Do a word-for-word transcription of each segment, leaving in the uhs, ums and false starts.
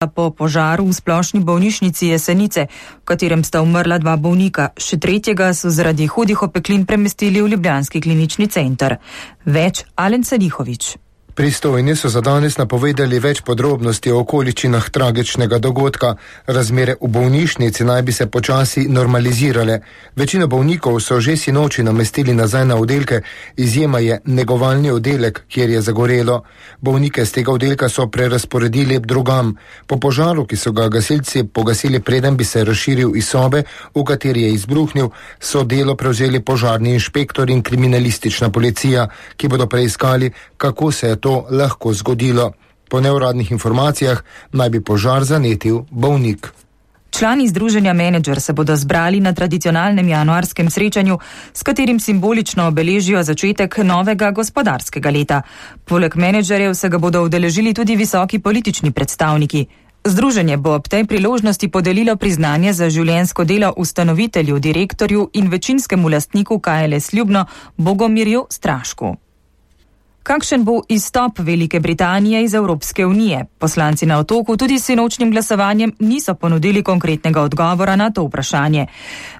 po požaru v splošni bolnišnici Jesenice, v katerem sta umrla dva bolnika. Še tretjega so zaradi hudih opeklin premestili v ljubljanski klinični center. Več Alen Salihovič. Pristojni so za danes napovedali več podrobnosti o okoliščinah tragičnega dogodka. Razmere v bolnišnici naj bi se počasi normalizirale. Večino bolnikov so že sinoči namestili nazaj na oddelke, izjema je negovalni oddelek, kjer je zagorelo. Bolnike z tega oddelka so prerazporedili drugam. Po požaru, ki so ga gasilci pogasili preden bi se razširil iz sobe, v kateri je izbruhnil, so delo prevzeli požarni inšpektor in kriminalistična policija, ki bodo preiskali, kako se je to lahko zgodilo. Po neuradnih informacijah naj bi požar zanetil bolnik. Člani združenja Menedžer se bodo zbrali na tradicionalnem januarskem srečanju, s katerim simbolično obeležijo začetek novega gospodarskega leta. Poleg menedžerjev se ga bodo udeležili tudi visoki politični predstavniki. Združenje bo ob tej priložnosti podelilo priznanje za življenjsko delo ustanovitelju, direktorju in večinskemu lastniku K L S Ljubno Bogomirju Strašku. Kakšen bo izstop Velike Britanije iz Evropske unije? Poslanci na Otoku tudi s sinočnim glasovanjem niso ponudili konkretnega odgovora na to vprašanje.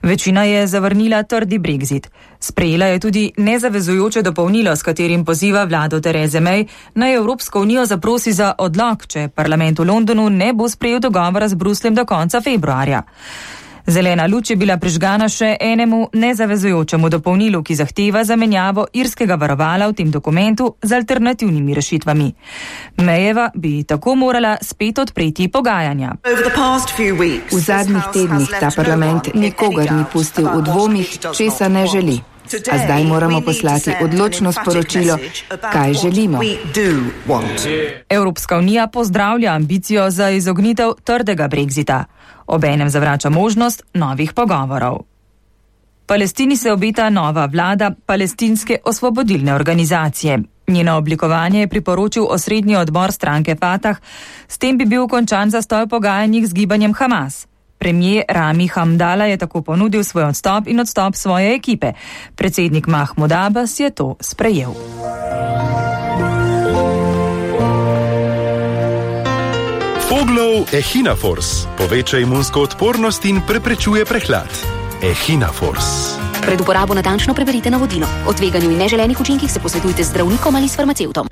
Večina je zavrnila trdi Brexit. Sprejela je tudi nezavezujoče dopolnilo, s katerim poziva vlado Therese May, naj Evropsko unijo zaprosi za odlog, če parlament v Londonu ne bo sprejel dogovora z Brusljem do konca februarja. Zelena luč je bila prižgana še enemu nezavezujočemu dopolnilu, ki zahteva zamenjavo irskega varovala v tem dokumentu z alternativnimi rešitvami. Mayjeva bi tako morala spet odpreti pogajanja. V zadnjih tednih ta parlament nikogar ni pustil v dvomih, česa ne želi. A zdaj moramo poslati odločno sporočilo, kaj želimo. Evropska unija pozdravlja ambicijo za izognitev trdega Brexita. Obenem zavrača možnost novih pogovorov. Palestini se obeta nova vlada palestinske osvobodilne organizacije. Njeno oblikovanje je priporočil osrednji odbor stranke Fatah, s tem bi bil končan zastoj pogajanjih z gibanjem Hamas. Premijer Rami Hamdala je tako ponudil svoj odstop in odstop svoje ekipe. Predsednik Mahmud Abbas je to sprejel. Foglov Echinafors poveča imunsko odpornost in preprečuje prehlad. Echinafors. Pred uporabo natančno preberite navodilo. O tveganju in neželenih učinkih se posvetujte z zdravnikom ali s farmacevtom.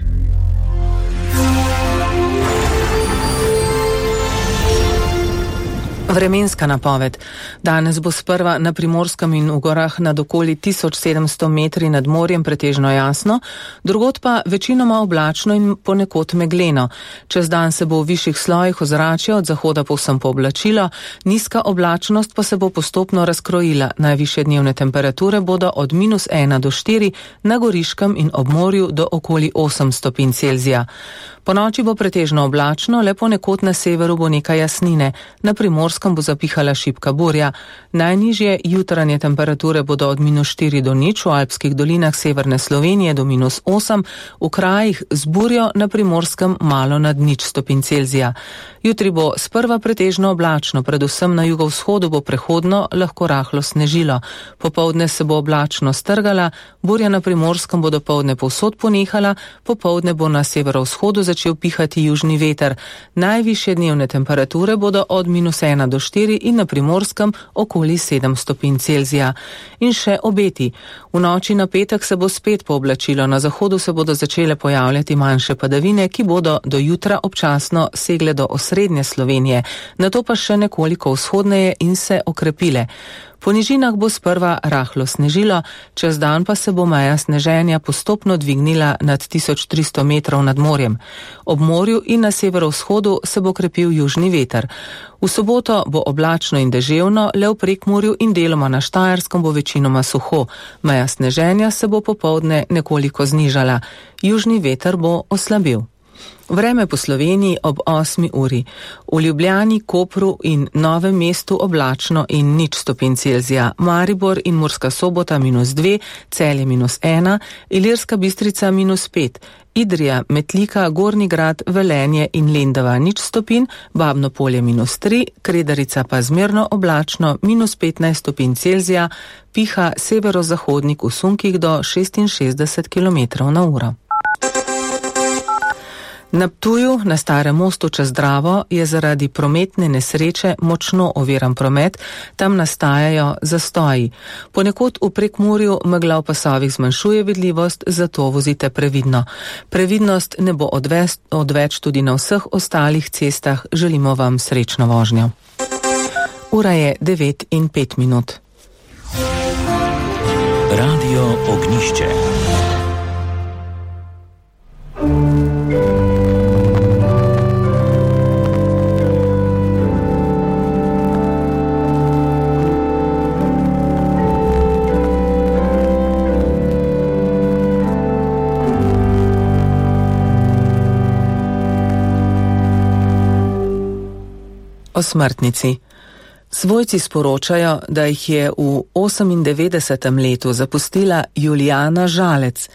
Vremenska napoved. Danes bo sprva na Primorskem in v gorah nad okoli tisoč sedemsto metri nad morjem pretežno jasno, drugod pa večinoma oblačno in ponekod megleno. Čez dan se bo v višjih slojih ozračja od zahoda povsem pooblačilo, nizka oblačnost pa se bo postopno razkrojila. Najvišje dnevne temperature bodo od minus ena do štiri, na Goriškem in ob morju do okoli osem stopinj Celzija. Po noči bo pretežno oblačno, le ponekod na severu bo nekaj jasnine. Na Primorskem bo zapihala šibka burja. Najnižje jutranje temperature bodo od minus štiri do nič, v alpskih dolinah severne Slovenije do minus osem, v krajih z burjo na Primorskem malo nad nič stopinj Celzija. Jutri bo sprva pretežno oblačno, predvsem na jugovzhodu bo prehodno lahko rahlo snežilo. Popoldne se bo oblačno strgala, burja na Primorskem bo dopoldne povsod ponehala, popoldne bo na severovzhodu začel pihati južni veter. Najvišje dnevne temperature bodo od minus ena do štiri in na Primorskem okoli sedem stopinj Celzija. In še obeti. V noči na petek se bo spet pooblačilo, na zahodu se bodo začele pojavljati manjše padavine, ki bodo do jutra občasno segle do osrednje Slovenije, nato pa še nekoliko vzhodneje in se okrepile. Po nižinah bo sprva rahlo snežilo, čez dan pa se bo meja sneženja postopno dvignila nad tisoč tristo metrov nad morjem. Ob morju in na severovzhodu se bo krepil južni veter. V soboto bo oblačno in deževno, le v Prekmurju in deloma na Štajerskem bo večinoma suho. Meja sneženja se bo popoldne nekoliko znižala. Južni veter bo oslabil. Vreme po Sloveniji ob osmi uri. V Ljubljani, Kopru in Novem mestu oblačno in nič stopinj Celzija. Maribor in Murska Sobota minus dve, Celje minus ena, Ilirska Bistrica minus pet, Idrija, Metlika, Gornji Grad, Velenje in Lendava nič stopinj, Babno Polje minus tri, Kredarica pa zmerno oblačno minus petnajst stopinj Celzija, piha severozahodnik v sunkih do šestinšestdeset kilometrov na uro. Na Ptuju, na Starem mostu čez Dravo, je zaradi prometne nesreče močno oviran promet, tam nastajajo zastoji. Ponekod v Prekmurju megla v pasovih zmanjšuje vidljivost, zato vozite previdno. Previdnost ne bo odvest, odveč tudi na vseh ostalih cestah. Želimo vam srečno vožnjo. Ura je devet in pet minut. Radio Ognišče. O smrtnici. Svojci sporočajo, da jih je v osemindevetdesetem letu zapustila Julijana Žalec,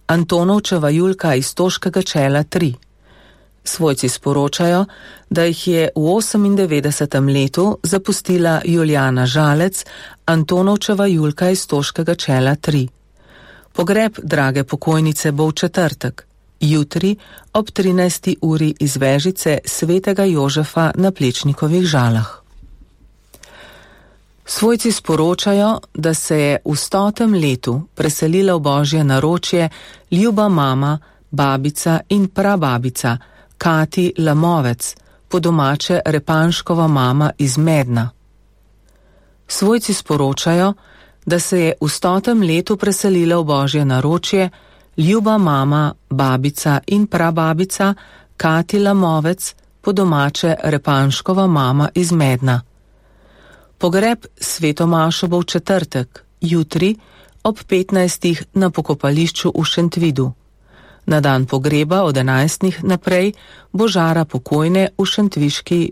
Antonovčeva Julka iz Toškega čela tri. Svojci sporočajo, da jih je v osemindevetdesetem letu zapustila Julijana Žalec, Antonovčeva Julka iz Toškega čela tri. Pogreb drage pokojnice bo v četrtek, jutri ob trinajsti uri iz vežice svetega Jožefa na Plečnikovih Žalah. Svojci sporočajo, da se je v stotem letu preselila v Božje naročje ljuba mama, babica in prababica Kati Lamovec, po domače Repanškova mama iz Medna. Svojci sporočajo, da se je v stotem letu preselila v Božje naročje ljuba mama, babica in prababica Kati Lamovec, po domače Repanškova mama iz Medna. Pogreb sveto mašo bo v četrtek, jutri ob petnajstih na pokopališču v Šentvidu. Na dan pogreba od enajstih naprej bo žara pokojne v šentviški